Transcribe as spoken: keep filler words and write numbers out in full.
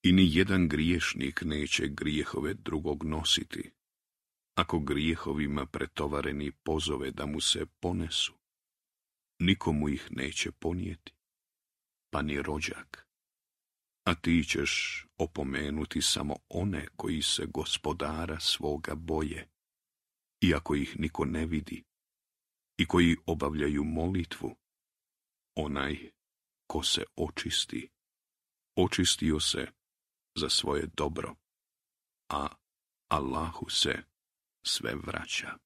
I ni jedan griješnik neće grijehove drugog nositi, ako grijehovima pretovareni pozove da mu se ponesu. Nikomu ih neće ponijeti, pa ni rođak. A ti ćeš opomenuti samo one koji se gospodara svoga boje, iako ih niko ne vidi, i koji obavljaju molitvu. Onaj ko se očisti, očistio se za svoje dobro, a Allahu se sve vraća.